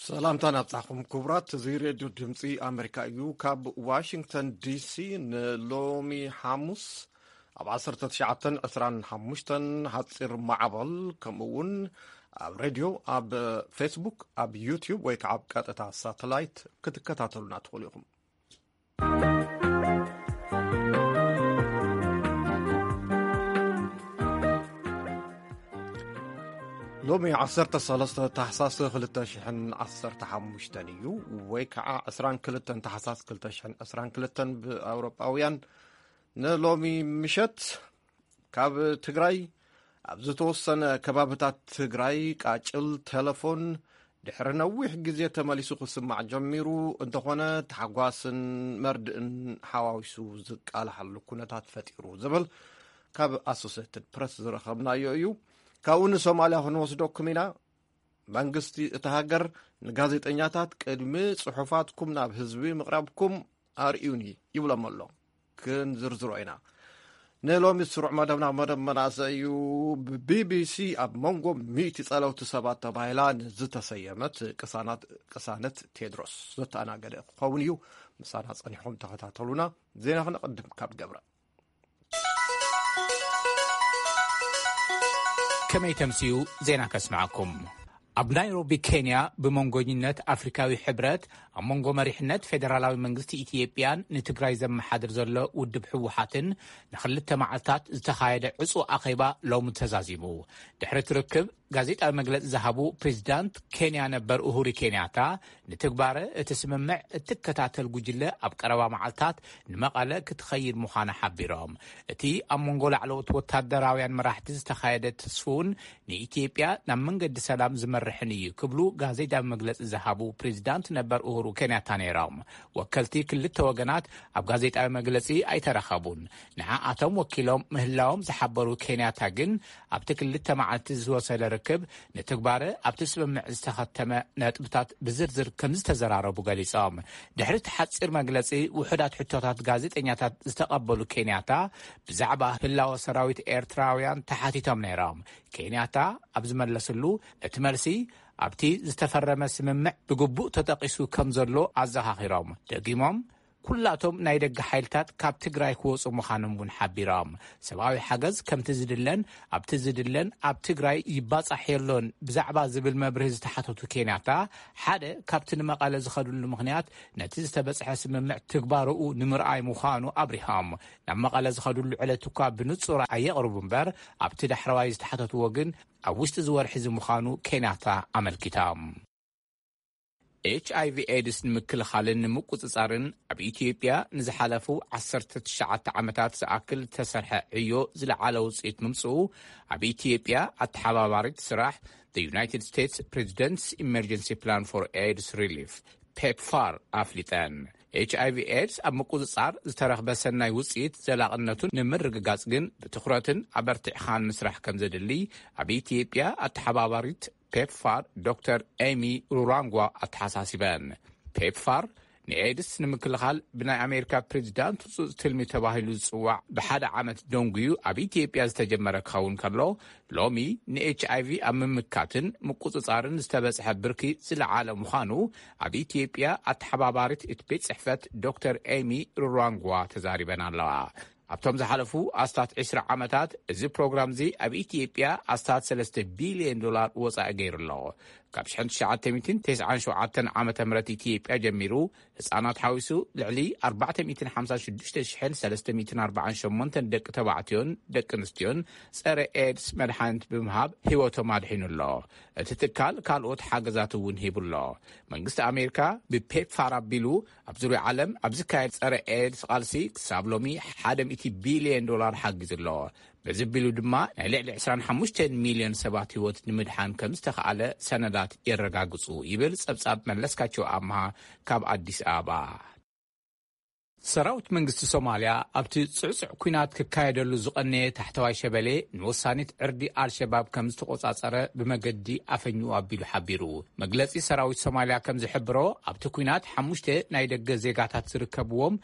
ሰላምታ ናብጻኹም ክቡራት። እዚ ሬድዮ ድምጺ ኣሜሪካ እዩ። ካብ ዋሽንግተን ዲሲ ንሎሚ ሓሙስ ኣብ ዓሰርተ ትሽዓተን ዕስራን ሓሙሽተን ሓጺር ማዕበል፣ ከምኡ እውን ኣብ ሬድዮ፣ ኣብ ፌስቡክ፣ ኣብ ዩቲዩብ ወይ ከዓ ኣብ ቀጥታ ሳተላይት ክትከታተሉና ትኽእሉ ኢኹም። ሎሚ ዓሰርተ ሰለስተ ታሕሳስ ክልተ ሽሕን ዓሰርተ ሓሙሽተን እዩ፣ ወይ ከዓ ዕስራን ክልተን ታሕሳስ ክልተ ሽሕን ዕስራን ክልተን ብኣውሮጳውያን። ንሎሚ ምሸት ካብ ትግራይ ኣብ ዝተወሰነ ከባብታት ትግራይ ቃጭል ቴሌፎን ድሕሪ ነዊሕ ግዜ ተመሊሱ ክስማዕ ጀሚሩ። እንተኾነ፣ ታሕጓስን መርድእን ሓዋዊሱ ዝቃልሓሉ ኩነታት ፈጢሩ ዝብል ካብ ኣሶሴትድ ፕረስ ዝረኸብናዮ እዩ። ካብኡ ንሶማልያ ክንወስደኩም ኢና። መንግስቲ እታ ሃገር ንጋዜጠኛታት ቅድሚ ጽሑፋትኩም ናብ ህዝቢ ምቕራብኩም ኣርእዩኒ ይብሎም ኣሎ። ክንዝርዝሮ ኢና። ንሎሚ ስሩዕ መደብና መደብ መናእሰይ እዩ። ብቢቢሲ ኣብ መንጎ ሚእቲ ጸለውቲ ሰባት ተባሂላ ንዝተሰየመት ቅሳናት-፣ ቅሳነት ቴድሮስ ዘተኣናገደ ክኸውን እዩ። ምሳና ጸኒሕኩም ተኸታተሉና። ዜና ክነቐድም ካብ ገብረ። ከመይ ተምስዩ ዜና ከስምዓኩም። ኣብ ናይሮቢ ኬንያ ብመንጎኝነት ኣፍሪካዊ ሕብረት ኣብ መንጎ መሪሕነት ፌደራላዊ መንግስቲ ኢትዮጵያን ንትግራይ ዘመሓድር ዘሎ ውድብ ህወሓትን ንክልተ መዓልታት ዝተኻየደ ዕጹ ኣኼባ ሎሚ ተዛዚሙ። ድሕሪ እቲ ርክብ ጋዜጣዊ መግለጺ ዝሃቡ ፕሬዚዳንት ኬንያ ነበር ኡሁሪ ኬንያታ፣ ንትግባረ እቲ ስምምዕ እትከታተል ጉጅለ ኣብ ቀረባ መዓልታት ንመቐለ ክትኸይድ ምዃና ሓቢሮም። እቲ ኣብ መንጎ ላዕለዎት ወታደራውያን መራሕቲ ዝተኻየደ ትስፉውን ንኢትዮጵያ ናብ መንገዲ ሰላም ዝመርሕን እዩ ክብሉ ጋዜጣዊ መግለጺ ዝሃቡ ፕሬዚዳንት ነበር ኡሁሩ ኬንያታ ነይሮም። ወከልቲ ክልተ ወገናት ኣብ ጋዜጣዊ መግለጺ ኣይተረኸቡን። ንዓኣቶም ወኪሎም ምህላዎም ዝሓበሩ ኬንያታ ግን፣ ኣብቲ ክልተ መዓልቲ ዝወሰደ ርክብ ንትግባረ ኣብቲ ስምምዕ ዝተኸተመ ነጥብታት ብዝርዝር ከም ዝተዘራረቡ ገሊጾም። ድሕሪ እቲ ሓጺር መግለጺ፣ ውሑዳት ሕቶታት ጋዜጠኛታት ዝተቐበሉ ኬንያታ፣ ብዛዕባ ህላወ ሰራዊት ኤርትራውያን ተሓቲቶም ነይሮም። ኬንያታ ኣብ ዝመለስሉ፣ እቲ መልሲ ኣብቲ ዝተፈረመ ስምምዕ ብግቡእ ተጠቒሱ ከም ዘሎ ኣዘኻኺሮም። ደጊሞም፣ ኩላቶም ናይ ደገ ሓይልታት ካብ ትግራይ ክወጹ ምዃኖም እውን ሓቢሮም። ሰብኣዊ ሓገዝ ከምቲ ዝድለን ኣብቲ ዝድለን ኣብ ትግራይ ይባጻሕ የሎን ብዛዕባ ዝብል መብርሂ ዝተሓተቱ ኬንያታ፣ ሓደ ካብቲ ንመቐለ ዝኸድሉ ምኽንያት ነቲ ዝተበጽሐ ስምምዕ ትግባረኡ ንምርኣይ ምዃኑ ኣብሪሆም። ናብ መቐለ ዝኸድሉ ዕለት እኳ ብንጹር ኣየቕርቡ እምበር፣ ኣብቲ ዳሕረዋይ ዝተሓተትዎ ግን ኣብ ውሽጢ እዚ ወርሒ እዚ ምዃኑ ኬንያታ ኣመልኪቶም። ኤች ኣይ ቪ ኤድስ ንምክልኻልን ንምቁጽጻርን ኣብ ኢትዮጵያ ንዝሓለፉ ዓሰርተ ትሽዓተ ዓመታት ዝኣክል ዝተሰርሐ ዕዮ ዝለዓለ ውጽኢት ምምጽኡ ኣብ ኢትዮጵያ ኣተሓባባሪት ስራሕ The United States President's Emergency Plan for ኤድስ ሪሊፍ፣ ፔፕፋር፣ ኣፍሊጠን። ኤች ኣይ ቪ ኤድስ ኣብ ምቁጽጻር ዝተረኽበ ሰናይ ውጽኢት ዘላቕነቱን ንምርግጋጽ ግን ብትኹረትን ኣበርቲዕኻን ምስራሕ ከም ዘድሊ ኣብ ኢትዮጵያ ኣተሓባባሪት ፔፕፋር ዶክተር ኤሚ ሩራንጓ ኣተሓሳሲበን። ፔፕፋር ንኤድስ ንምክልኻል ብናይ ኣሜሪካ ፕሬዚዳንት ህጹጽ ትልሚ ተባሂሉ ዝጽዋዕ ብሓደ ዓመት ደንጉዩ ኣብ ኢትዮጵያ ዝተጀመረ ክኸውን ከሎ፣ ሎሚ ንኤች ኣይ ቪ ኣብ ምምካትን ምቁጽጻርን ዝተበጽሐ ብርኪ ዝለዓለ ምዃኑ ኣብ ኢትዮጵያ ኣተሓባባሪት እቲ ቤት ጽሕፈት ዶክተር ኤሚ ሩራንጓ ተዛሪበን ኣለዋ። ኣብቶም ዝሓለፉ ኣስታት ዕስራ ዓመታት እዚ ፕሮግራም እዚ ኣብ ኢትዮጵያ ኣስታት ሰለስተ ቢልዮን ዶላር ወጻኢ ገይሩ ኣሎ። ካብ ሽሕን ትሽዓተ ሚእትን ተስዓን ሸውዓተን ዓመተ ምህረት ኢትዮጵያ ጀሚሩ ህጻናት ሓዊሱ ልዕሊ ኣርባዕተ ሚእትን ሓምሳን ሽዱሽተ ሽሕን ሰለስተ ሚእትን ኣርባዓን ሸሞንተን ደቂ ተባዕትዮን ደቂ ኣንስትዮን ጸረ ኤድስ መድሓኒት ብምሃብ ህይወቶም ኣድሒኑ ኣሎ። እቲ ትካል ካልኦት ሓገዛት እውን ሂቡ ኣሎ። መንግስቲ ኣሜሪካ ብፔፕፋር ኣቢሉ ኣብ ዙርያ ዓለም ኣብ ዝካየድ ጸረ ኤድስ ቃልሲ ክሳብ ሎሚ ሓደ ሚእቲ ቢልዮን ዶላር ሓጊዙ ኣሎ። በዚ ኣቢሉ ድማ ናይ ልዕሊ ዕስራን ሓሙሽተን ሚልዮን ሰባት ህይወት ንምድሓን ከም ዝተኻኣለ ሰነዳት የረጋግጹ ይብል ጸብጻብ መለስካቸው ኣምሃ ካብ ኣዲስ ኣበባ። ሰራዊት መንግስቲ ሶማልያ ኣብቲ ጽዕጹዕ ኲናት ክካየደሉ ዝቐነየ ታሕተዋይ ሸበሌ ንወሳኒት ዕርዲ ኣልሸባብ ከም ዝተቖጻጸረ ብመገዲ ኣፈኝኡ ኣቢሉ ሓቢሩ። መግለጺ ሰራዊት ሶማልያ ከም ዝሕብሮ፣ ኣብቲ ኲናት ሓሙሽተ ናይ ደገ ዜጋታት ዝርከብዎም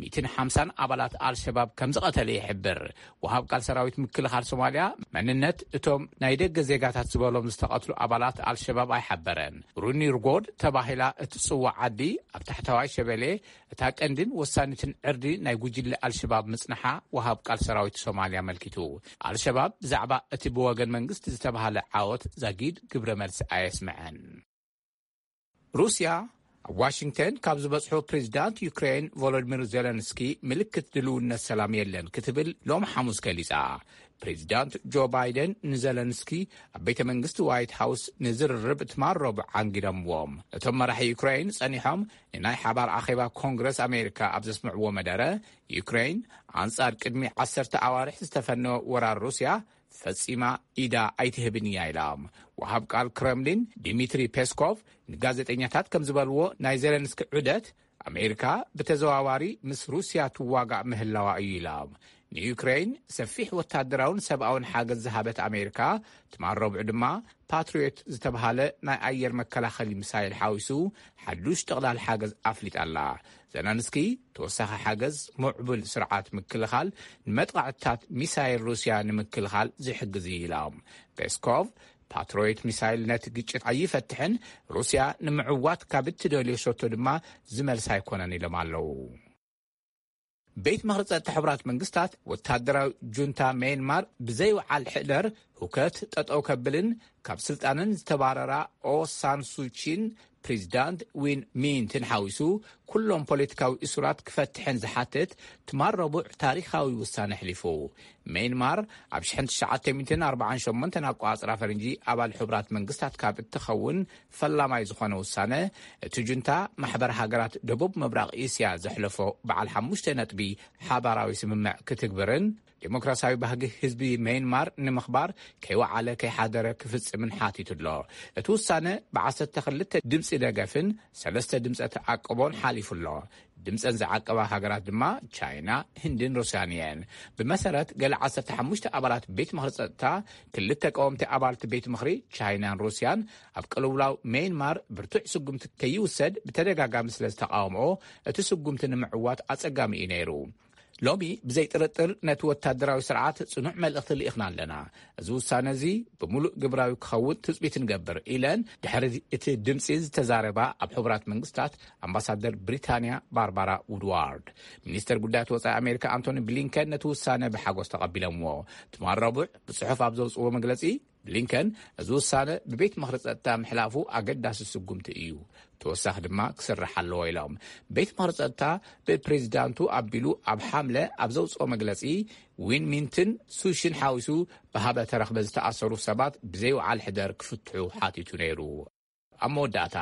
ሚእትን ሓምሳን ኣባላት ኣልሸባብ ከም ዝቐተለ ይሕብር። ወሃብ ቃል ሰራዊት ምክልኻል ሶማልያ መንነት እቶም ናይ ደገ ዜጋታት ዝበሎም ዝተቐትሉ ኣባላት ኣልሸባብ ኣይሓበረን። ሩኒ ርጎድ ተባሂላ እትጽዋዕ ዓዲ ኣብ ታሕተዋይ ሸበሌ እታ ቀንድን ወሳኒትን ዕርዲ ናይ ጉጅለ ኣልሸባብ ምጽንሓ ወሃብ ቃል ሰራዊት ሶማልያ ኣመልኪቱ። ኣልሸባብ ብዛዕባ እቲ ብወገን መንግስቲ ዝተባህለ ዓወት ዛጊድ ግብረ መልሲ ኣየስምዐን። ሩስያ ኣብ ዋሽንግተን ካብ ዝበጽሑ ፕሬዚዳንት ዩክሬን ቮሎዲሚር ዜለንስኪ ምልክት ድልውነት ሰላም የለን ክትብል ሎም ሓሙስ ገሊጻ። ፕሬዚዳንት ጆ ባይደን ንዘለንስኪ ኣብ ቤተ መንግስቲ ዋይት ሃውስ ንዝርርብ ትማል ረቡዕ ዓንጊዶምዎም። እቶም መራሒ ዩክሬን ጸኒሖም ንናይ ሓባር ኣኼባ ኮንግረስ ኣሜሪካ ኣብ ዘስምዕዎ መደረ፣ ዩክሬን ኣንጻር ቅድሚ ዓሰርተ ኣዋርሕ ዝተፈነወ ወራር ሩስያ ፈጺማ ኢዳ ኣይትህብን እያ ኢሎም። ወሃብ ቃል ክረምሊን ዲሚትሪ ፔስኮቭ ንጋዜጠኛታት ከም ዝበልዎ፣ ናይ ዜለንስኪ ዑደት ኣሜሪካ ብተዘዋዋሪ ምስ ሩስያ ትዋጋእ ምህላዋ እዩ ኢሎም። ንዩክሬን ሰፊሕ ወታደራውን ሰብኣውን ሓገዝ ዝሃበት ኣሜሪካ፣ ትማል ረቡዕ ድማ ፓትሪዮት ዝተባሃለ ናይ ኣየር መከላኸሊ ሚሳይል ሓዊሱ ሓዱሽ ጠቕላል ሓገዝ ኣፍሊጣ ኣላ። ዘለንስኪ፣ ተወሳኺ ሓገዝ፣ ምዕቡል ስርዓት ምክልኻል፣ ንመጥቃዕትታት ሚሳይል ሩስያ ንምክልኻል ዝሕግዝ እዩ ኢሎም። ፔስኮቭ፣ ፓትሪዮት ሚሳይል ነቲ ግጭት ኣይፈትሕን፣ ሩስያ ንምዕዋት ካብ እትደልዮ ሸቶ ድማ ዝመልስ ኣይኮነን ኢሎም ኣለዉ። ቤት ምኽሪ ጸጥታ ሕቡራት መንግስታት፣ ወታደራዊ ጁንታ ሜንማር ብዘይወዓል ሕደር ሁከት ጠጠው ከብልን ካብ ስልጣንን ዝተባረራ ኦ ሳን ሱቺን ፕሬዚዳንት ዊን ሚንትን ሓዊሱ ኩሎም ፖለቲካዊ እሱራት ክፈትሕን ዝሓትት ትማል ረቡዕ ታሪኻዊ ውሳነ ኣሕሊፉ። ሜንማር ኣብ ሽሕን ትሽዓተ ሚእትን ኣርባዓን ሸሞንተን ኣቋጽራ ፈረንጂ ኣባል ሕቡራት መንግስታት ካብ እትኸውን ፈላማይ ዝኾነ ውሳነ፣ እቲ ጁንታ ማሕበር ሃገራት ደቡብ ምብራቕ እስያ ዘሕለፎ በዓል ሓሙሽተ ነጥቢ ሓባራዊ ስምምዕ ክትግብርን ዴሞክራሲያዊ ባህጊ ህዝቢ ሜንማር ንምኽባር ከይወዓለ ከይሓደረ ክፍጽምን ሓቲቱ ኣሎ። እቲ ውሳነ ብዓሰርተ ክልተ ድምጺ ደገፍን ሰለስተ ድምጸ ተዓቅቦን ሓሊፉ ኣሎ። ድምጸን ዝዓቀባ ሃገራት ድማ ቻይና፣ ህንድን ሩስያን እየን። ብመሰረት ገለ ዓሰርተ ሓሙሽተ ኣባላት ቤት ምኽሪ ጸጥታ፣ ክልተ ቀወምቲ ኣባልቲ ቤት ምኽሪ ቻይናን ሩስያን ኣብ ቅልውላው ሜንማር ብርቱዕ ስጉምቲ ከይውሰድ ብተደጋጋሚ ስለ ዝተቃወምኦ፣ እቲ ስጉምቲ ንምዕዋት ኣጸጋሚ እዩ ነይሩ። ሎሚ ብዘይ ጥርጥር ነቲ ወታደራዊ ስርዓት ጽኑዕ መልእኽቲ ልኢኽና ኣለና። እዚ ውሳነ እዚ ብምሉእ ግብራዊ ክኸውን ትጽቢት ንገብር ኢለን ድሕሪ እቲ ድምጺ ዝተዛረባ ኣብ ሕቡራት መንግስታት ኣምባሳደር ብሪታንያ ባርባራ ውድዋርድ። ሚኒስተር ጉዳያት ወጻኢ ኣሜሪካ ኣንቶኒ ብሊንከን ነቲ ውሳነ ብሓጎስ ተቐቢሎምዎ። ትማል ረቡዕ ብጽሑፍ ኣብ ዘውጽዎ መግለጺ፣ ብሊንከን እዚ ውሳነ ብቤት ምኽሪ ጸጥታ ምሕላፉ ኣገዳሲ ስጉምቲ እዩ፣ ተወሳኺ ድማ ክስራሕ ኣለዎ ኢሎም። ቤት ምኽሪ ጸጥታ ብፕሬዚዳንቱ ኣቢሉ ኣብ ሓምለ ኣብ ዘውጽኦ መግለጺ፣ ዊን ሚንትን ሱሽን ሓዊሱ ብሃበተ ረኽበ ዝተኣሰሩ ሰባት ብዘይወዓል ሕደር ክፍትሑ ሓቲቱ ነይሩ። ኣብ መወዳእታ፣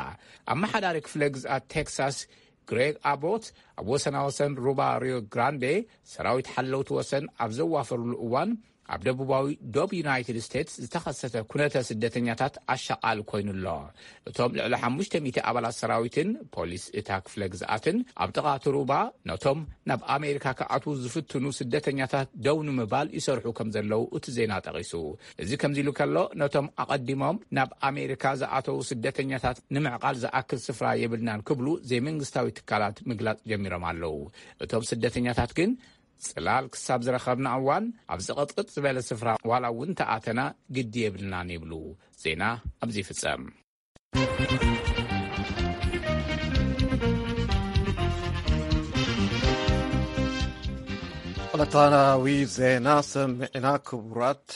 ኣመሓዳሪ ክፍለ ግዝኣት ቴክሳስ ግሬግ ኣቦት ኣብ ወሰናወሰን ሩባ ሪዮ ግራንዴ ሰራዊት ሓለውቲ ወሰን ኣብ ዘዋፈሩሉ እዋን፣ ኣብ ደቡባዊ ዶብ ዩናይትድ ስቴትስ ዝተኸሰተ ኩነተ ስደተኛታት ኣሻቓሊ ኮይኑ ኣሎ። እቶም ልዕሊ ሓሙሽተ ሚእቲ ኣባላት ሰራዊትን ፖሊስ እታ ክፍለ ግዝኣትን ኣብ ጥቓ እቲ ሩባ ነቶም ናብ ኣሜሪካ ክኣትዉ ዝፍትኑ ስደተኛታት ደው ንምባል ይሰርሑ ከም ዘለዉ እቲ ዜና ጠቒሱ። እዚ ከምዚ ኢሉ ከሎ፣ ነቶም ኣቐዲሞም ናብ ኣሜሪካ ዝኣተዉ ስደተኛታት ንምዕቓል ዝኣክል ስፍራ የብልናን ክብሉ ዘይመንግስታዊ ትካላት ምግላጽ ጀሚሮም ኣለዉ። እቶም ስደተኛታት ግን ጽላል ክሳብ ዝረኸብና እዋን ኣብ ዝቕጥቅጥ ዝበለ ስፍራ ዋላ እውን ተኣተና ግዲ የብልናን ይብሉ። ዜና ኣብዚ ይፍጸም። ዕለታዊ ዜና ሰሚዕና። ክቡራት፣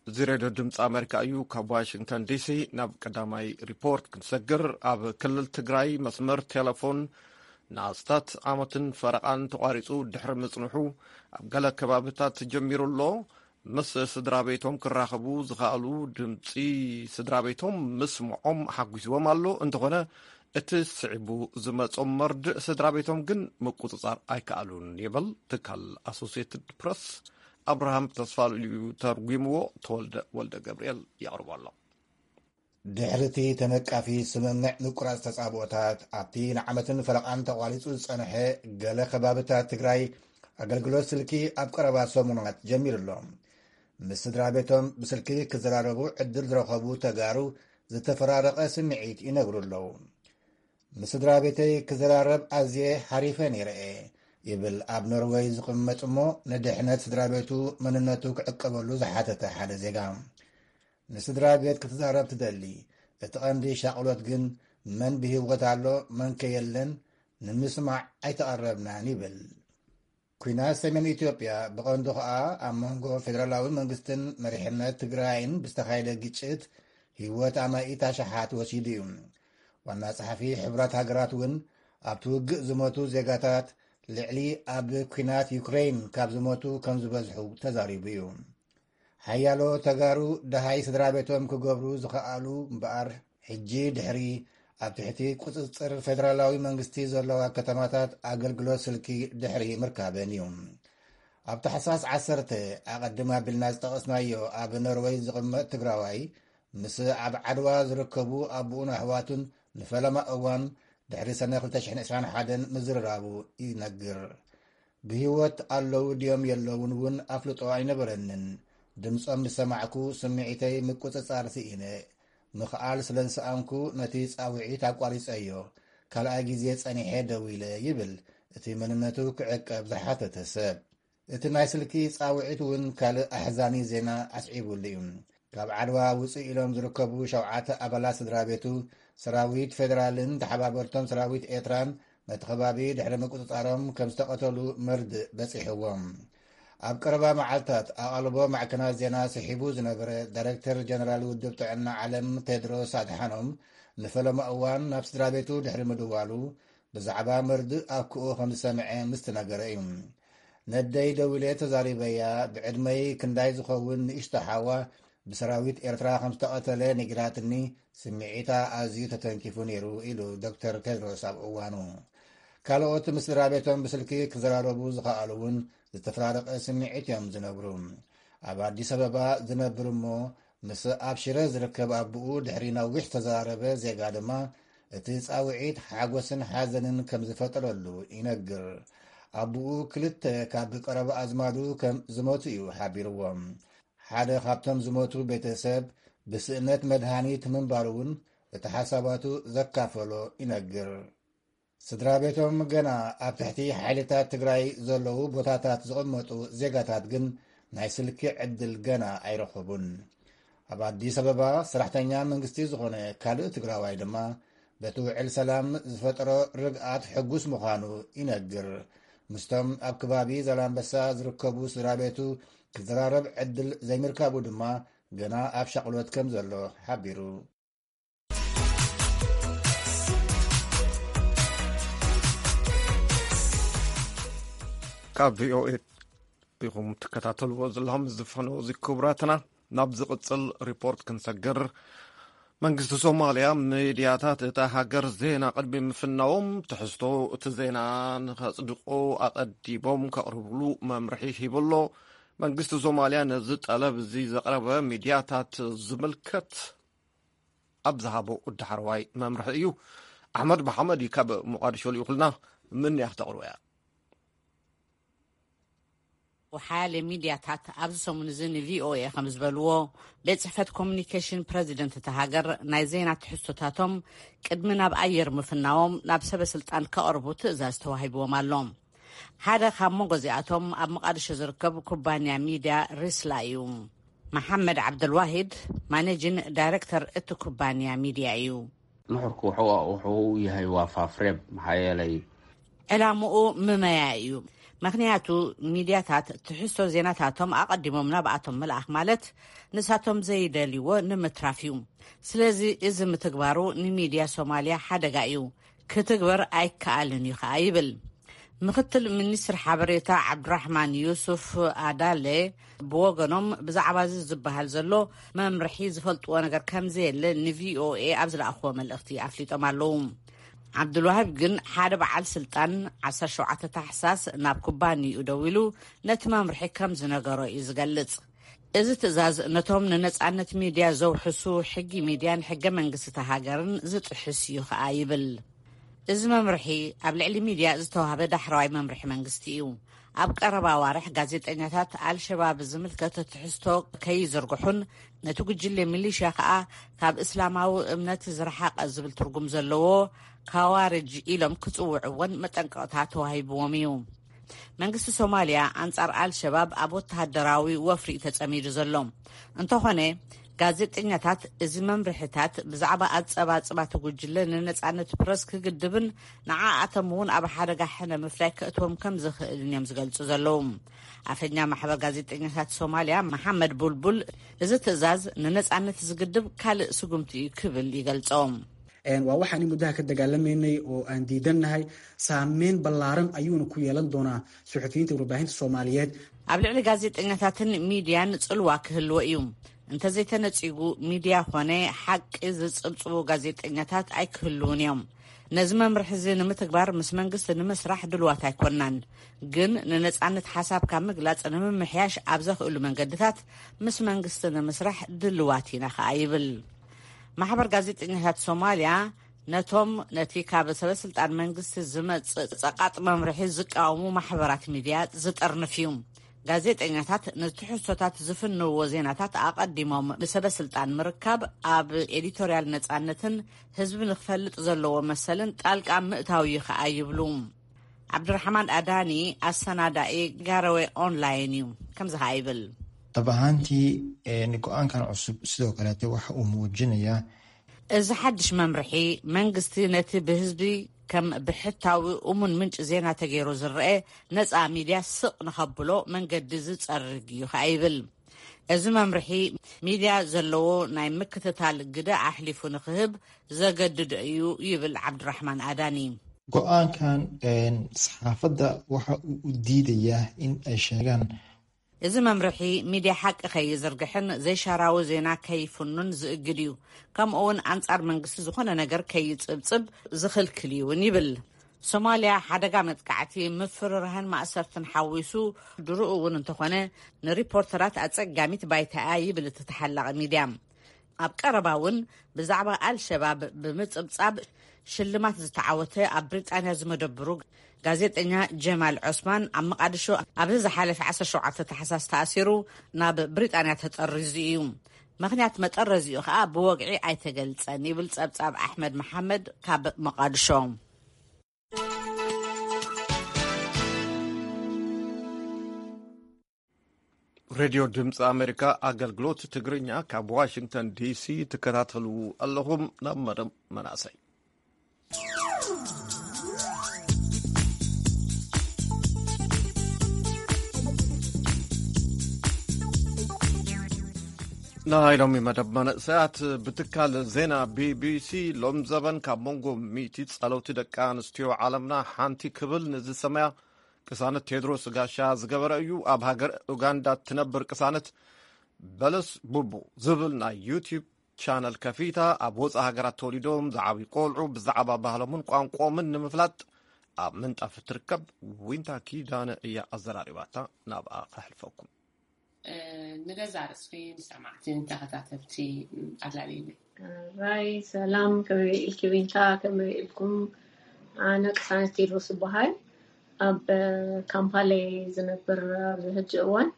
እዚ ሬድዮ ድምፂ ኣሜሪካ እዩ። ካብ ዋሽንግተን ዲሲ ናብ ቀዳማይ ሪፖርት ክንሰግር፣ ኣብ ክልል ትግራይ መስመር ቴሌፎን ንኣስታት ዓመትን ፈረቓን ተቋሪፁ ድሕሪ ምፅንሑ፣ ኣብ ገለ ከባብታት ተጀሚሩ ኣሎ። ምስ ስድራ ቤቶም ክራኸቡ ዝኸኣሉ ድምፂ ስድራ ቤቶም ምስምዖም ሓጒስዎም ኣሎ። እንተኾነ፣ እቲ ስዒቡ ዝመጾም መርድእ ስድራ ቤቶም ግን ምቁጽጻር ኣይከኣሉን ይብል ትካል ኣሶሲየትድ ፕረስ። ኣብርሃም ተስፋልኡል እዩ ተርጒምዎ፣ ተወልደ ወልደ ገብርኤል የቕርቦ ኣሎ። ድሕሪ እቲ ተነቃፊ ስምምዕ ምቁራጽ ተጻብኦታት፣ ኣብቲ ንዓመትን ፈረቓን ተቋሪጹ ዝጸንሐ ገለ ከባብታት ትግራይ፣ ኣገልግሎት ስልኪ ኣብ ቀረባ ሰሙናት ጀሚሩ ኣሎ። ምስ ስድራ ቤቶም ብስልኪ ክዘራረቡ ዕድል ዝረኸቡ ተጋሩ ዝተፈራረቐ ስምዒት ይነግሩ ኣለዉ። ምስ ስድራ ቤተይ ክዘራረብ ኣዝየ ሓሪፈ ነይረ እየ። ይብል ኣብ ኖርወይ ዝቕመጥ እሞ ንድሕነት ስድራ ቤቱ መንነቱ ክዕቀበሉ ዝሓተተ ሓደ ዜጋ። ንስድራ ቤት ክትዛረብ ትደሊ፣ እቲ ቀንዲ ሻቕሎት ግን መን ብህይወት ኣሎ፣ መን ከ የለን፣ ንምስማዕ ኣይተቐረብናን ይብል። ኲናት ሰሜን ኢትዮጵያ ብቐንዱ ኸኣ ኣብ መንጎ ፌደራላዊ መንግስትን መሪሕነት ትግራይን ብዝተኻየደ ግጭት ህይወት ኣማኢት ኣሽሓት ወሲዱ እዩ። ዋና ጸሓፊ ሕቡራት ሃገራት እውን ኣብቲ ውግእ ዝሞቱ ዜጋታት ልዕሊ ኣብ ኲናት ዩክሬን ካብ ዝሞቱ ከም ዝበዝሑ ተዛሪቡ እዩ። ሓያሎ ተጋሩ ደሃይ ስድራ ቤቶም ክገብሩ ዝኸኣሉ እምበኣር፣ ሕጂ ድሕሪ ኣብ ትሕቲ ቁጽጽር ፌደራላዊ መንግስቲ ዘለዋ ከተማታት ኣገልግሎት ስልኪ ድሕሪ ምርካበን እዩ። ኣብ ታሕሳስ ዓሰርተ ኣቐድም ኣቢልና ዝጠቐስናዮ ኣብ ኖርወይ ዝቕመጥ ትግራዋይ ምስ ኣብ ዓድዋ ዝርከቡ ኣቦኡን ኣሕዋቱን ንፈለማ እዋን ድሕሪ ሰነ ክልተ ሽሕን ዕስራን ሓደን ምዝርራቡ ይነግር። ብህይወት ኣለዉ ድዮም የለዉን እውን ኣፍልጦ ኣይነበረንን። ድምጾም ምስ ሰማዕኩ ስምዒተይ ምቁጽጻር ስኢነ። ምኽኣል ስለ ዝሰኣንኩ ነቲ ጻውዒት ኣቋሪጸዮ። ካልኣይ ግዜ ጸኒሐ ደዊለ ይብል እቲ መንነቱ ክዕቀብ ዝሓተተ ሰብ። እቲ ናይ ስልኪ ጻውዒት እውን ካልእ ኣሕዛኒ ዜና ኣስዒቡሉ እዩ። ካብ ዓድዋ ውጽእ ኢሎም ዝርከቡ ሸውዓተ ኣባላት ስድራ ቤቱ፣ ሰራዊት ፌደራልን ተሓባበርቶም ሰራዊት ኤርትራን ነቲ ከባቢ ድሕሪ ምቁጽጻሮም ከም ዝተቐተሉ መርድእ በጺሕዎም። ኣብ ቀረባ መዓልታት ኣቓልቦ ማዕከናት ዜና ስሒቡ ዝነበረ ዳይሬክተር ጀነራል ውድብ ጥዕና ዓለም ቴድሮስ ኣድሓኖም ንፈለማ እዋን ናብ ስድራ ቤቱ ድሕሪ ምድዋሉ ብዛዕባ መርድእ ኣክኡ ከም ዝሰምዐ ምስ ተነገረ እዩ። ነደይ ደዊለ ተዛሪበያ፣ ብዕድመይ ክንዳይ ዝኸውን ንእሽቶ ሓዋ ብሰራዊት ኤርትራ ከም ዝተቐተለ ነጊራትኒ፣ ስምዒታ ኣዝዩ ተተንኪፉ ነይሩ ኢሉ ዶክተር ቴድሮስ ኣብ እዋኑ። ካልኦት ምስ ስድራ ቤቶም ብስልኪ ክዘራረቡ ዝኸኣሉ እውን ዝተፈራረቐ ስምዒት እዮም ዝነግሩ። ኣብ ኣዲስ ኣበባ ዝነብር እሞ ምስ ኣብ ሽረ ዝርከብ ኣቦኡ ድሕሪ ነዊሕ ዝተዘራረበ ዜጋ ድማ እቲ ጻውዒት ሓጎስን ሓዘንን ከም ዝፈጠረሉ ይነግር። ኣቦኡ ክልተ ካብ ቀረባ ኣዝማዱ ከም ዝሞቱ እዩ ሓቢርዎም። ሓደ ካብቶም ዝሞቱ ቤተሰብ ብስእነት መድሃኒት ምንባሩ እውን እቲ ሓሳባቱ ዘካፈሎ ይነግር። ስድራ ቤቶም ገና ኣብ ትሕቲ ሓይልታት ትግራይ ዘለዉ ቦታታት ዝቕመጡ ዜጋታት ግን ናይ ስልኪ ዕድል ገና ኣይረኸቡን። ኣብ ኣዲስ ኣበባ ሰራሕተኛ መንግስቲ ዝኾነ ካልእ ትግራዋይ ድማ በቲ ውዕል ሰላም ዝፈጠሮ ርግኣት ሕጉስ ምዃኑ ይነግር። ምስቶም ኣብ ከባቢ ዛላምበሳ ዝርከቡ ስድራ ቤቱ ክዘራረብ ዕድል ዘይምርካቡ ድማ ገና ኣብ ሻቕሎት ከም ዘሎ ሓቢሩ። ካብ ቪኦኤ ኢኹም ትከታተልዎ ዘለኹም ዝፈነው እዚ ክቡራትና። ናብ ዝቕጽል ሪፖርት ክንሰግር፣ መንግስቲ ሶማልያ ሚድያታት እታ ሃገር ዜና ቅድሚ ምፍናዎም ትሕዝቶ እቲ ዜና ንኸጽድቑ ኣቐዲሞም ከቕርብሉ መምርሒ ሂቡ ኣሎ። መንግስቲ ሶማልያ ነዚ ጠለብ እዚ ዘቕረበ ሚድያታት ዝምልከት ኣብ ዝሃቦ ዳሕረዋይ መምርሒ እዩ። ኣሕመድ መሓመድ እዩ ካብ ሞቃዲሾ ልኢኹልና። ምን እያ ክተቕርቦ እያ። ወሓያለ ሚድያታት ኣብዚ ሰሙን እዚ ንቪኦኤ ከም ዝበልዎ፣ ቤት ጽሕፈት ኮሚኒኬሽን ፕረዚደንት እታ ሃገር ናይ ዜና ትሕዝቶታቶም ቅድሚ ናብ ኣየር ምፍናዎም ናብ ሰበ ስልጣን ከቕርቡ ትእዛዝ ተዋሂብዎም ኣሎ። ሓደ ካብ መንጎ እዚኣቶም ኣብ መቓድሾ ዝርከብ ኩባንያ ሚድያ ሪስላ እዩ። መሓመድ ዓብደልዋሂድ ማኔጂን ዳይሬክተር እቲ ኩባንያ ሚድያ እዩ። Nuxurku waxa uu yahay waa faafreeb maxaa yeelay ዕላምኡ ምመያ እዩ። ምኽንያቱ ሚድያታት ትሕዝቶ ዜናታቶም ኣቐዲሞም ናብኣቶም ምልኣኽ ማለት ንሳቶም ዘይደልይዎ ንምትራፍ እዩ። ስለዚ እዚ ምትግባሩ ንሚድያ ሶማልያ ሓደጋ እዩ፣ ክትግበር ኣይከኣልን እዩ ከኣ ይብል። ምኽትል ሚኒስትር ሓበሬታ ዓብዱራሕማን ዩሱፍ ኣዳሌ ብወገኖም ብዛዕባ እዚ ዝበሃል ዘሎ መምርሒ ዝፈልጥዎ ነገር ከም ዘየለ ንቪኦኤ ኣብ ዝለኣኽዎ መልእኽቲ ኣፍሊጦም ኣለዉ። ዓብዱልዋሃብ ግን ሓደ በዓል ስልጣን ዓሰርተ ሸውዓተ ታሕሳስ ናብ ኩባንይኡ ደዊሉ ነቲ መምርሒ ከም ዝነገሮ እዩ ዝገልጽ። እዚ ትእዛዝ ነቶም ንነጻነት ሚድያ ዘውሕሱ ሕጊ ሚድያን ሕገ መንግስቲ እታ ሃገርን ዝጥሕስ እዩ ከኣ ይብል። እዚ መምርሒ ኣብ ልዕሊ ሚድያ ዝተዋህበ ዳሕረዋይ መምርሒ መንግስቲ እዩ። ኣብ ቀረባ ኣዋርሕ ጋዜጠኛታት ኣልሸባብ ዝምልከት ትሕዝቶ ከይዝርግሑን ነቲ ጉጅለ ሚሊሽያ ከኣ ካብ እስላማዊ እምነት ዝረሓቐ ዝብል ትርጉም ዘለዎ ካዋርጅ ኢሎም ክጽውዕዎን መጠንቀቕታ ተዋሂብዎም እዩ። መንግስቲ ሶማልያ ኣንጻር ኣልሸባብ ኣብ ወተሃደራዊ ወፍሪ እዩ ተጸሚዱ ዘሎ። እንተኾነ፣ ጋዜጠኛታት እዚ መምርሕታት ብዛዕባ ኣጸባጽባቲ ጉጅለ ንነጻነት ፕረስ ክግድብን ንዓኣቶም እውን ኣብ ሓደጋ ሕነ ምፍላይ ከእትዎም ከም ዝኽእልን እዮም ዝገልጹ ዘለዉ። ኣፈኛ ማሕበር ጋዜጠኛታት ሶማልያ መሓመድ ቡልቡል፣ እዚ ትእዛዝ ንነጻነት ዝግድብ ካልእ ስጉምቲ እዩ ክብል ይገልጾ። Waa waxaan in muddaha ka dagaalamaynay oo aan diidannahay. Saameyn ballaaran ayuuna ku yeelan doonaa suxufiyiinta warbaahinta Soomaaliyeed. ኣብ ልዕሊ ጋዜጠኛታትን ሚድያን ጽልዋ ክህልዎ እዩ። እንተዘይተነጺጉ፣ ሚድያ ኾነ ሓቂ ዝጽብጽቡ ጋዜጠኛታት ኣይክህልውን እዮም። ነዚ መምርሒ እዚ ንምትግባር ምስ መንግስቲ ንምስራሕ ድልዋት ኣይኮናን፣ ግን ንነጻነት ሓሳብካ ምግላጽ ንምምሕያሽ ኣብ ዘኽእሉ መንገድታት ምስ መንግስቲ ንምስራሕ ድልዋት ኢና ከኣ ይብል። ማሕበር ጋዜጠኛታት ሶማልያ ነቶም ነቲ ካብ ሰበስልጣን መንግስቲ ዝመጽእ ጸቓጥ መምርሒ ዝቃወሙ ማሕበራት ሚድያ ዝጠርንፍ እዩ። ጋዜጠኛታት ንትሕዝቶታት ዝፍንዎ ዜናታት ኣቐዲሞም ብሰበስልጣን ምርካብ ኣብ ኤዲቶርያል ነጻነትን ህዝቢ ንክፈልጥ ዘለዎ መሰልን ጣልቃ ምእታው እዩ ከኣ ይብሉ። ዓብድራሕማን ኣዳኒ ኣሰናዳኢ ጋረወ ኦንላይን እዩ። ከምዚ ከኣ ይብል። Dhab ahaantii, een, go-aankan cusub sidoo kaleete waxa uu muujinayaa እዚ ሓድሽ መምርሒ መንግስቲ ነቲ ብህዝቢ ከም ብሕታዊ እሙን ምንጪ ዜና ተገይሩ ዝረአ ነጻ ሚድያ ስቕ ንኸብሎ መንገዲ ዝጸርግ እዩ ከኣ ይብል። እዚ መምርሒ ሚድያ ዘለዎ ናይ ምክትታል ግደ ኣሕሊፉ ንክህብ ዘገድዶ እዩ ይብል ዓብድራሕማን ኣዳኒ። Go-aankan, een, saxaafadda waxa uu u diidayaa in ay sheegaan እዚ መምርሒ ሚድያ ሓቂ ከይዝርግሕን ዘይሻራዊ ዜና ከይፍኑን ዝእግድ እዩ። ከምኡ እውን ኣንጻር መንግስቲ ዝኾነ ነገር ከይጽብጽብ ዝኽልክል እዩ እውን ይብል። ሶማልያ ሓደጋ መጥቃዕቲ፣ ምፍርራህን ማእሰርትን ሓዊሱ ድርኡ እውን እንተኾነ ንሪፖርተራት ኣጸጋሚት ባይታ እያ ይብል እቲ ተሓላቒ ሚድያ። ኣብ ቀረባ እውን ብዛዕባ ኣልሸባብ ብምጽብጻብ ሽልማት ዝተዓወተ ኣብ ብሪጣንያ ዝመደብሩ ጋዜጠኛ ጀማል ዑስማን ኣብ መቓድሾ ኣብዚ ዝሓለፈ ዓሰርተ ሸውዓተ ታሕሳስ ተኣሲሩ ናብ ብሪጣንያ ተጠሪዙ እዩ። ምኽንያት መጠረዚኡ ከኣ ብወግዒ ኣይተገልጸን ይብል ጸብጻብ ኣሕመድ መሓመድ ካብ መቓድሾ። ሬድዮ ድምፂ ኣሜሪካ ኣገልግሎት ትግርኛ ካብ ዋሽንግተን ዲሲ ትከታተሉ ኣለኹም። ናብ መደብ መናእሰይ። ናይ ሎሚ መደብ መንእሰያት ብትካል ዜና ቢቢሲ ሎም ዘበን ካብ መንጎ ሚእቲ ጸለውቲ ደቂ ኣንስትዮ ዓለምና ሓንቲ ክብል ንዝሰመያ ቅሳነት ቴድሮስ ጋሻ ዝገበረ እዩ። ኣብ ሃገር ኡጋንዳ እትነብር ቅሳነት በለስ ቡቡ ዝብል ናይ ዩቲዩብ ቻነል ከፊታ ኣብ ወፃእ ሃገራት ተወሊዶም ዝዓብዩ ቆልዑ ብዛዕባ ባህሎምን ቋንቋኦምን ንምፍላጥ ኣብ ምንጣፍ እትርከብ ዊንታ ኪዳነ እያ ኣዘራሪባታ። ናብኣ ከሕልፈኩም። ንገዛ ርእስኺ ንሰማዕትን ተኸታተልቲ ኣላልይኒ። ራይ ሰላም፣ ከመይ ኢልኪ ዊንታ? ከመይ ኢልኩም? ኣነ ቅሳነት ቴድሮስ እበሃል። ኣብ ካምፓላ እየ ዝነብር ኣብዚ ሕጂ እዋን።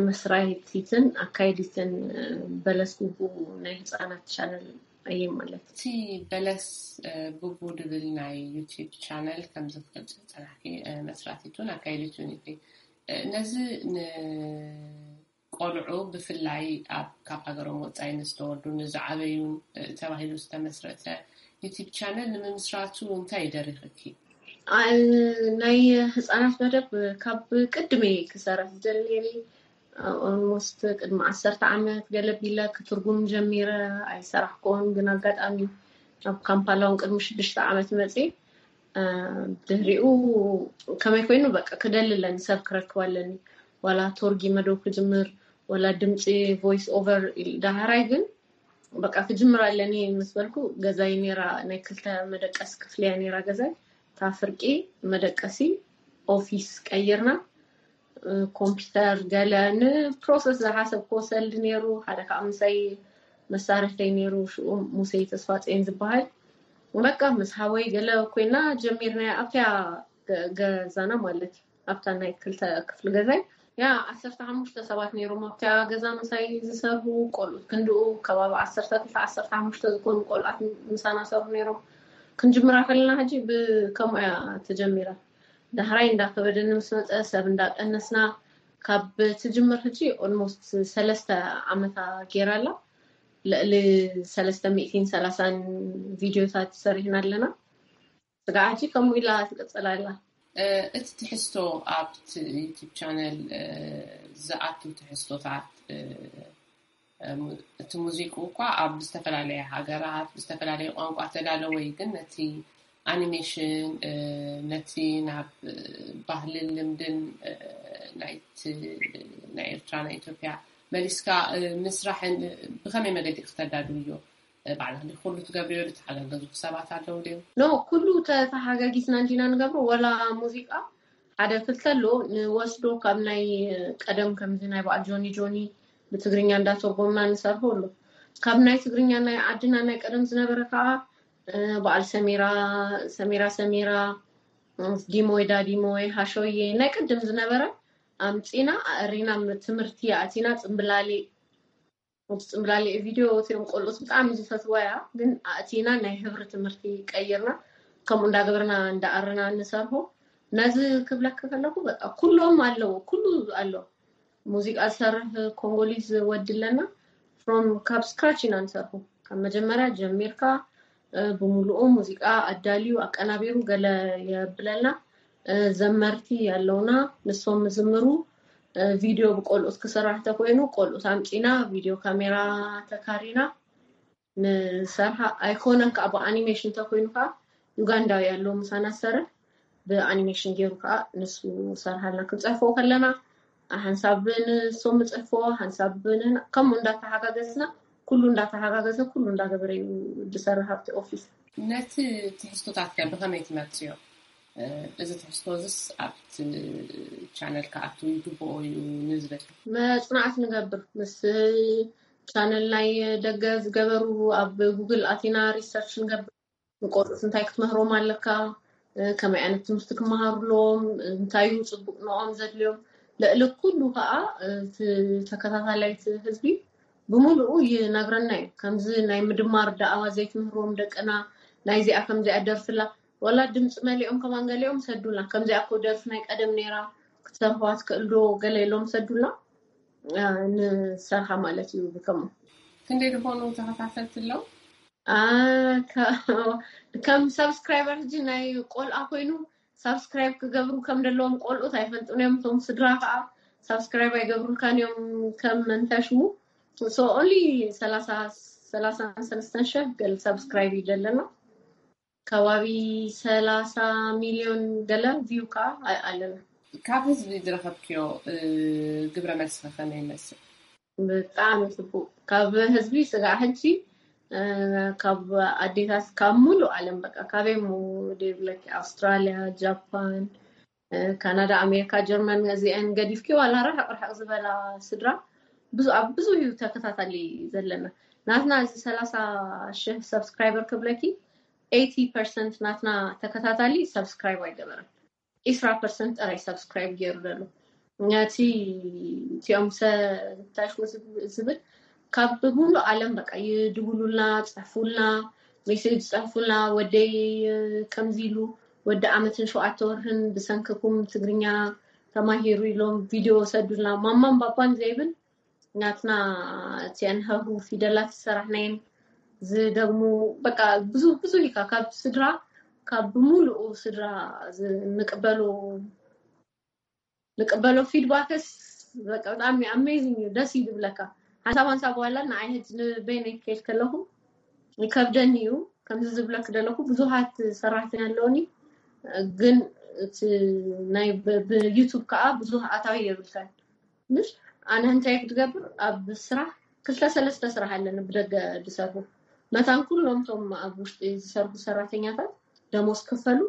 መስራይቲትን ኣካይዲትን በለስ ጉቡ ናይ ህፃናት ቻነል እየ ማለት። እቲ በለስ ጉቡ ድብል ናይ ዩቲዩብ ቻነል ከምዚ ክትገልፂ ዝፀናሕኪ መስራቲቱን ኣካይዲቱን ኢኺ። ነዚ ንቆልዑ ብፍላይ ኣብ ካብ ሃገሮም ወፃኢ ንዝተወልዱ ንዝዓበዩን ተባሂሉ ዝተመስረተ ዩቲዩብ ቻነል ንምምስራቱ እንታይ ይደሪኽኪ? ናይ ህፃናት መደብ ካብ ቅድሚ ክሰርሕ ዝደሊ ነይረ። ኦልሞስት ቅድሚ ዓሰርተ ዓመት ገለ ቢለ ክትርጉም ጀሚረ ኣይሰራሕኩን፣ ግን ኣጋጣሚ ኣብ ካምፓላውን ቅድሚ ሽዱሽተ ዓመት መፅእ ድህሪኡ ከመይ ኮይኑ በቃ ክደሊ ኣለኒ፣ ሰብ ክረክብ ኣለኒ። ዋላ ቶርጊ መደው ክጅምር፣ ዋላ ድምፂ ቮይስ ኦቨር። ዳህራይ ግን በቃ ክጅምር ኣለኒ ምስ በልኩ፣ ገዛይ ነራ ናይ ክልተ መደቀስ ክፍልያ ነራ ገዛይ፣ እታ ፍርቂ መደቀሲ ኦፊስ ቀይርና። ኮምፒውተር ገለ ንፕሮሰስ ዝሓሰብክዎ ሰልዲ ነይሩ። ሓደ ከዓ ምሳይ መሳርሕተይ ነይሩ፣ ሽኡ ሙሴ ተስፋፅዮን ዝበሃል። በቃ ምስ ሓወይ ገለ ኮይና ጀሚርና ኣብቲያ ገዛና ማለት እዩ። ኣብታ ናይ ክልተ ክፍሊ ገዛይ ያ ዓሰርተ ሓሙሽተ ሰባት ነይሮም ኣብቲያ ገዛ ምሳይ ዝሰርሁ፣ ቆልዑት ክንድኡ ከባቢ ዓሰርተ ክልተ ዓሰርተ ሓሙሽተ ዝኾኑ ቆልዓት ምሳና ሰርሑ ነይሮም። ክንጅምራ ከለና ሕጂ ብከምኡ እያ ተጀሚራ። ዳሕራይ እንዳከበደኒ ምስ መፀ ሰብ እንዳቀነስና ካብ ትጅምር ሕጂ ኦልሞስት ሰለስተ ዓመታ ገይራ ኣላ። ልዕሊ ሰለስተ ሚእትን ሰላሳን ቪድዮታት ሰሪሕና ኣለና። ስጋዕ ሕጂ ከምኡ ኢላ ትቅፅል ኣላ። እቲ ትሕዝቶ ኣብቲ ዩቱብ ቻነል ዝኣቱ ትሕዝቶታት እቲ ሙዚቁ እኳ ኣብ ዝተፈላለየ ሃገራት ብዝተፈላለየ ቋንቋ ተዳለወ እዩ፣ ግን ነቲ ኣኒሜሽን ነቲ ናብ ባህልን ልምድን ናይቲ ናይ ኤርትራ ናይ ኢትዮጵያ መሊስካ ምስራሕን ብኸመይ መገዲ ክተዳድውዮ? ባዕልኽ ኩሉ ትገብርዮ? ዝተሓጋገዙ ሰባት ኣለዉ ድዮም? ኖ፣ ኩሉ ተተሓጋጊዝና እንዲና ንገብሮ። ወላ ሙዚቃ ሓደ ክልተ ኣሎ ንወስዶ ካብ ናይ ቀደም ከምዚ ናይ በዓል ጆኒ ጆኒ ብትግርኛ እንዳተርጎምና ንሰርሖ ኣሎ። ካብ ናይ ትግርኛ ናይ ዓድና ናይ ቀደም ዝነበረ ከዓ በዓል ሰሚራ ሰሚራ ሰሚራ ዲሞይ ዳዲሞይ ሃሾዬ ናይ ቅድም ዝነበረ ኣምፂና ኣእሪና ትምህርቲ ኣእቲና ፅምብላሊ እቲ ፅምብላሊ ቪድዮ እቲኦም ቆልዑት ብጣዕሚ ዝፈትዋ እያ፣ ግን ኣእቲና ናይ ህብሪ ትምህርቲ ቀይርና ከምኡ እንዳገበርና እንዳኣረና እንሰርሆ። ነዚ ክብለክ ከለኩ በቃ ኩሎም ኣለዎ፣ ኩሉ ኣሎ። ሙዚቃ ዝሰርሕ ኮንጎሊዝ ወዲ ኣለና። ፍሮም ካብ ስክራች ኢና ንሰርሑ። ካብ መጀመርያ ጀሚርካ ብሙሉኡ ሙዚቃ ኣዳልዩ ኣቀናቢሩ ገለ የብለልና። ዘመርቲ ኣለውና፣ ንሶም ዝምሩ። ቪድዮ ብቆልኡት ክስራሕ ተኮይኑ ቆልኡት ኣምፂና ቪድዮ ካሜራ ተካሪና ንሰርሓ። ኣይኮነን ከዓ ብኣኒሜሽን ተኮይኑ ከዓ ዩጋንዳዊ ኣለዉ ምሳና ዝሰርሕ፣ ብኣኒሜሽን ገይሩ ከዓ ንሱ ሰርሓልና። ክንፅሕፎ ከለና ሓንሳብ ንሶም ምፅሕፎ ሓንሳብ ንና ከምኡ እንዳተሓጋገዝና ኩሉ እንዳተሓጋገዘ ኩሉ እንዳገበረ እዩ ዝሰርሕ ኣብቲ ኦፊስ። ነቲ ትሕዝቶታት ከ ብኸመይ ትመርፅዮ? እዚ ትሕዝቶ እዚስ ኣብቲ ቻነል ክኣቱ ይግብኦ እዩ ንዝብል መፅናዕት ንገብር ምስ ቻነል ናይ ደገ ዝገበሩ ኣብ ጉግል ኣቲና ሪሰርች ንገብር። ንቆልዑት እንታይ ክትምህሮም ኣለካ፣ ከመይ ዓይነት ትምህርቲ ክመሃሩ ኣለዎም፣ እንታይ እዩ ፅቡቅ ንኦም ዘድልዮም። ልዕሊ ኩሉ ከዓ ተከታታላይ ህዝቢ ብምሉኡ ይነግረና እዩ። ከምዚ ናይ ምድማር ዳኣዋ ዘይትምህርዎም ደቅና ናይዚኣ ከምዚኣ ደርፍላ ዋላ ድምፂ መሊኦም ከማን ገሊኦም ሰዱልና። ከምዚኣ እኮ ደርፊ ናይ ቀደም ነይራ ክትሰርሕዋ ትክእል ዶ ገለ ኢሎም ሰዱልና ንሰርሓ ማለት እዩ። ብከምኡ ክንደይ ዝኾኑ ተኸታተልቲ ኣለዉ? ከም ሳብስክራይበር ሕጂ ናይ ቆልዓ ኮይኑ ሳብስክራይብ ክገብሩ ከም ደለዎም ቆልዑት ኣይፈልጡን እዮም። እቶም ስድራ ከዓ ሳብስክራይብ ኣይገብሩልካን እዮም ከም መንታሽሙ። So only ሰላሳ ሰላሳን ሰለስተን ሸፍ ገል ሳብስክራይብ እዩ ዘለና። ከባቢ ሰላሳ ሚሊዮን ገለ ቪው ከዓ ኣለና። ካብ ህዝቢ ዝረኸብክዮ ግብረ መልሲ ከመይ ይመስል? ብጣዕሚ ፅቡቅ። ካብ ህዝቢ ስጋዕ ሕጂ ካብ ኣዴታት ካብ ሙሉእ ዓለም በቃ ካበይ ሞ ደብለኪ ኣውስትራሊያ፣ ጃፓን፣ ካናዳ፣ ኣሜሪካ፣ ጀርመን እዚአን ገዲፍኪ ዋላ ርሕቅ ርሕቅ ዝበላ ስድራ ብዙ ኣብ ብዙ እዩ ተከታታሊ ዘለና። ናትና እዚ ሰላሳ ሽሕ ሰብስክራይበር ክብለኪ ኤይቲ ፐርሰንት ናትና ተከታታሊ ሰብስክራይብ ኣይገበረን። ዒስራ ፐርሰንት ጥራይ ሰብስክራይብ ገይሩ ዘሎ። ነቲ እቲኦም ሰታሽ ዝብል ካብ ሙሉእ ዓለም በቃ ይድውሉልና፣ ፀሕፉልና፣ ሜሴጅ ፀሕፉልና። ወደይ ከምዚ ኢሉ ወዲ ዓመትን ሸውዓተ ወርህን ብሰንክኩም ትግርኛ ተማሂሩ ኢሎም ቪድዮ ሰዱልና። ማማን ባባን ዘይብል ናትና እቲአን ሀሁ ፊደላት ዝሰራሕናየን ዝደግሙ በቃ ብዙ ብዙ ኢካ ካብ ስድራ ካብ ብምሉኡ ስድራ ንቅበሎ ንቅበሎ ፊድባክስ በቃ ብጣዕሚ ኣሜዚንግ እዩ። ደስ እዩ ዝብለካ። ሓንሳብ ሓንሳብ ዋላ ንዓይ ሕጂ ንበይነይ ክከይድ ከለኹ ይከብደኒ እዩ። ከምዚ ዝብለክ ዘለኹ ብዙሃት ሰራሕተኛ ኣለውኒ፣ ግን እቲ ናይ ብዩቱብ ከዓ ብዙህ ኣታዊ የብልካን። ምሽ ኣነ እንታይ ክትገብር ኣብ ስራሕ ክልተ ሰለስተ ስራሕ ኣለኒ ብደገ ዝሰርሑ መታን ኩሎም ቶም ኣብ ውሽጢ ዝሰርሑ ሰራተኛታት ደሞዝ ክፈሉ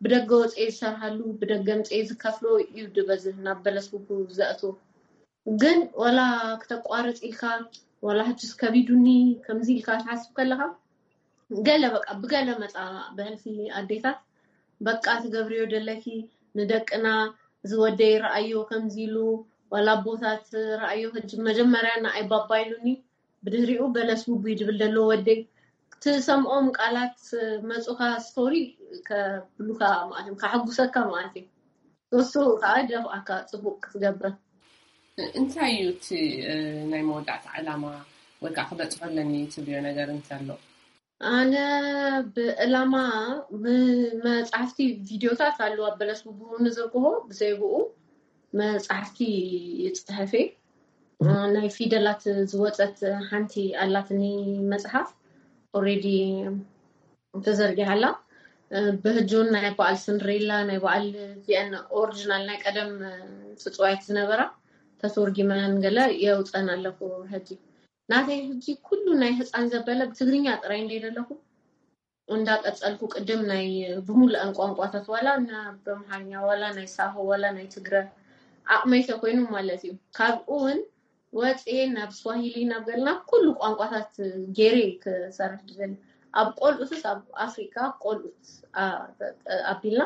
ብደገ ወፅኤ ዝሰርሃሉ ብደገ ምፅኤ ዝከፍሎ እዩ ድበዝህ ናብ በለስ ውቡ ዘእትዎ። ግን ወላ ክተቋርፅ ኢልካ ወላ ሕጅስ ከቢዱኒ ከምዚ ኢልካ ትሓስብ ከለካ ገለ በቃ ብገለ መፃ ብሕልፊ ኣዴታት በቃ ትገብርዮ ደለኪ ንደቅና ዝወደይ ረኣዮ ከምዚ ኢሉ ዋላ ኣቦታት ረኣዮ ሕጂ መጀመርያ ንኣይ ባባ ኢሉኒ ብድህሪኡ በለስ ውቡይ ድብል ደሎ ወደይ ትሰምዖም ቃላት መፁካ ስቶሪ ከብሉካ ማለት እዮም ካሐጉሰካ ማለት እዩ። እሱ ከዓ ደፍኣካ ጽቡቅ ክትገብር። እንታይ እዩ እቲ ናይ መወዳእታ ዕላማ ወይ ከዓ ክበፅሖ ኣለኒ ትብልዮ ነገር እንተሎ? ኣነ ብዕላማ፣ መፅሓፍቲ፣ ቪድዮታት ኣለዋ በለስ ብብሩ ንዝርግሆ ብዘይብኡ መፅሓፍቲ ይፅሕፌ። ናይ ፊደላት ዝወፀት ሓንቲ ኣላትኒ መፅሓፍ፣ ኦሬዲ ተዘርጊሓላ። ብህጁን ናይ በዓል ስንድሬላ፣ ናይ በዓል ዚአን ኦሪጂናል ናይ ቀደም ፅፅዋያት ዝነበራ ተተርጊመን ገለ የውፀን ኣለኹ። ሕጂ ናተይ ሕጂ ኩሉ ናይ ህፃን ዘበለ ብትግርኛ ጥራይ እንደ ዘለኹ እንዳቀፀልኩ ቅድም ናይ ብሙሉአን ቋንቋታት ዋላ እና በምሓርኛ ዋላ ናይ ሳሆ ዋላ ናይ ትግረ ዓቕመይ ተኮይኑ ማለት እዩ። ካብኡ እውን ወፅኤ ናብ ስዋሂሊ ናብ ገልና ኩሉ ቋንቋታት ገይረ ክሰርሕ ድደሊ። ኣብ ቆልኡትስ ኣብ ኣፍሪካ ቆልኡት ኣቢልና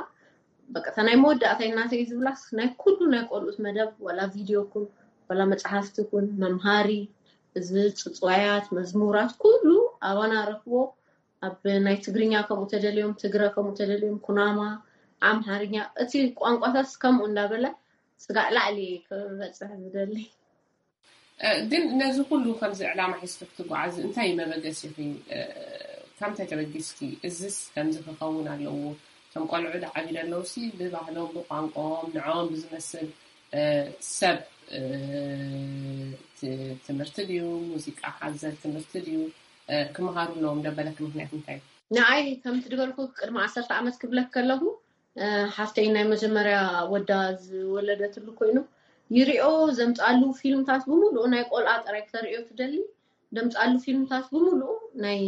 በቃ እታ ናይ መወዳእታ ናተይ ዝብላስ ናይ ኩሉ ናይ ቆልኡት መደብ ዋላ ቪድዮ ኩን ዋላ መፅሓፍቲ ኩን መምሃሪ እዚ ፅፅዋያት መዝሙራት ኩሉ ኣባና ረክቦ ኣብ ናይ ትግርኛ ከምኡ ተደልዮም ትግረ ከምኡ ተደልዮም ኩናማ ኣምሃርኛ እቲ ቋንቋታት ከምኡ እንዳበለ ስጋዕ ላዕሊ ክበፅሕ ዝደሊ። ግን ነዚ ኩሉ ከምዚ ዕላማ ሒዝኪ ክትጓዓዚ እንታይ መበገሲኺ? ካብ ምንታይ ተበጊስኪ እዚስ ከምዚ ክኸውን ኣለዎ? እቶም ቆልዑ ዝዓብዩ ዘለዉ ሲ ብባህሎም ብቋንቋኦም ንዕኦም ብዝመስል ሰብ ትምህርቲ ድዩ፣ ሙዚቃ ሓዘል ትምህርቲ ድዩ ክመሃሩ ኣለዎም ደበለኪ ምክንያት እንታይ? ንዓይ ከምቲ ዝበልኩ ቅድሚ ዓሰርተ ዓመት ክብለክ ከለኹ ሓፍተይ ናይ መጀመርያ ወዳ ዝወለደትሉ ኮይኑ ይሪኦ ዘምፅኣሉ ፊልምታት ብምሉኡ ናይ ቆልዓ ጥራይ ክተርእዮ ትደሊ። ዘምፅኣሉ ፊልምታት ብምሉኡ ናይ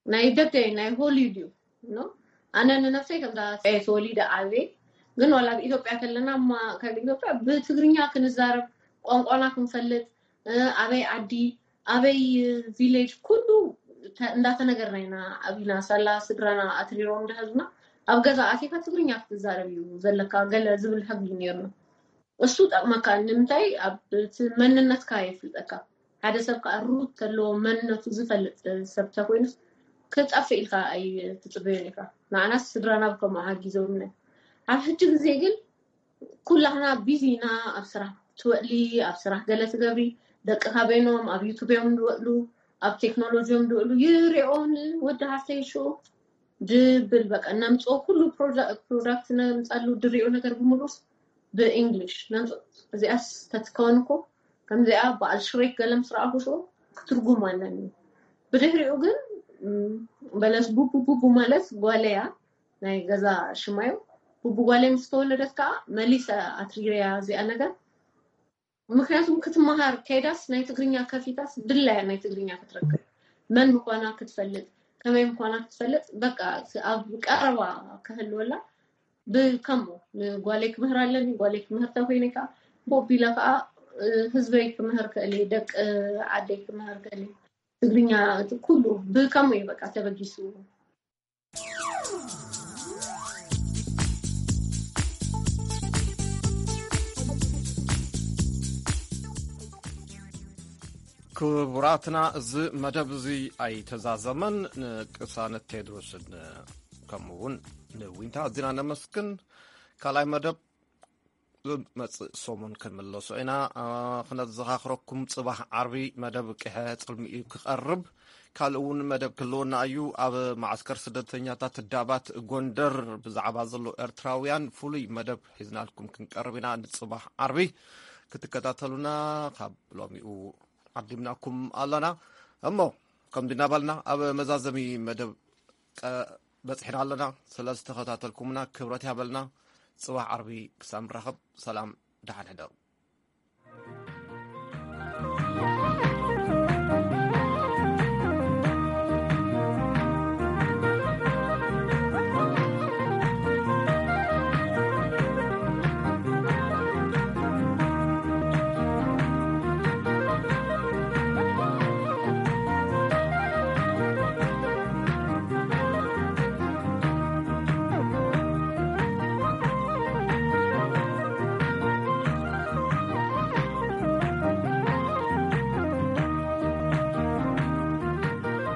ናይ ደገ ናይ ሆሊውድ እዩ። ኣነ ንነፍሰይ ከምዛ ተወሊደ ዓብየ ግን ዋላ ኣብ ኢትዮጵያ ከለና ካብ ኢትዮጵያ ብትግርኛ ክንዛረብ ቋንቋና ክንፈልጥ ኣበይ ዓዲ ኣበይ ቪሌጅ ኩሉ እንዳተነገርና ኢና ዓቢና። ሳላ ስድራና ኣትሪሮም እንዳሃዙና ኣብ ገዛ ኣቲካ ትግርኛ ክትዛረብ እዩ ዘለካ ገለ ዝብል ሕጊ ነይርና። እሱ ጠቕመካ ንምንታይ ኣብ እቲ መንነትካ የፍልጠካ። ሓደ ሰብ ከዓ ሩት ተለዎ መንነቱ ዝፈልጥ ሰብ ተኮይኑስ ክጠፍእ ኢልካ ኣይትፅበዮን ኢካ። ንዓናስ ስድራና ብከምኡ ሓጊዞምና። ኣብ ሕጂ ግዜ ግን ኩላህና ቢዚ ኢና። ኣብ ስራሕ ትወእሊ፣ ኣብ ስራሕ ገለ ትገብሪ፣ ደቂ ካበይኖም ኣብ ዩቱብ እዮም ዝወእሉ፣ ኣብ ቴክኖሎጂ እዮም ዝወእሉ። ይሪኦ ንወዲ ሃፍተይ ሽኡ ድብል በቃ ነምፅኦ ኩሉ ፕሮዳክት ነምፃሉ ድሪኦ ነገር ብምሉስ ብእንግሊሽ ነምፅኦ። እዚኣስ ተትከውን እኮ ከምዚኣ በዓል ሽሬክ ገለ ምስ ረኣኹ ሽኡ ክትርጉም ኣለኒ። ብድሕሪኡ ግን በለስ ቡቡ ቡቡ ማለት ጓለያ ናይ ገዛ ሽማዩ ቡቡ ጓለይ ምስ ተወለደት ከዓ መሊሰ ኣትሪረያ እዚኣ ነገር። ምክንያቱም ክትመሃር ከይዳስ ናይ ትግርኛ ከፊታስ ድላያ ናይ ትግርኛ ክትረክብ መን ምኳና ክትፈልጥ ከመይ ምኳና ክትፈልጥ በቃ ኣብ ቀረባ ክህልወላ ብከምኡ ንጓለይ ክምህር ኣለኒ። ጓለይ ክምህር ተኮይነ ከዓ ቦቢላ ከዓ ህዝበይ ክምህር ክእል ደቂ ዓደይ ክምህር ክእል ትግርኛ ኩሉ ብከምኡ እዩ በቃ ተበጊሱ። ክቡራትና እዚ መደብ እዚ ኣይተዛዘመን። ንቅሳነት ቴድሮስን ከምኡ እውን ንዊንታ ኣዚና ነመስግን። ካልኣይ መደብ ዝመፅእ ሰሙን ክንምለሶ ኢና። ክነዘኻኽረኩም ፅባሕ ዓርቢ መደብ ቅሐ ፅልሚ እዩ ክቐርብ። ካልእ እውን መደብ ክህልወና እዩ። ኣብ ማዓስከር ስደተኛታት ዳባት ጎንደር ብዛዕባ ዘሎ ኤርትራውያን ፍሉይ መደብ ሒዝናልኩም ክንቀርብ ኢና። ንፅባሕ ዓርቢ ክትከታተሉና ካብ ሎሚኡ ዓዲምናኩም ኣለና። እሞ ከምዚ እናበልና ኣብ መዛዘሚ መደብ በፂሕና ኣለና። ስለዝተኸታተልኩምና ክብረት ያበልና። ፅባሕ ዓርቢ ክሳብ ንራኸብ ሰላም ደሓን ሕደሩ።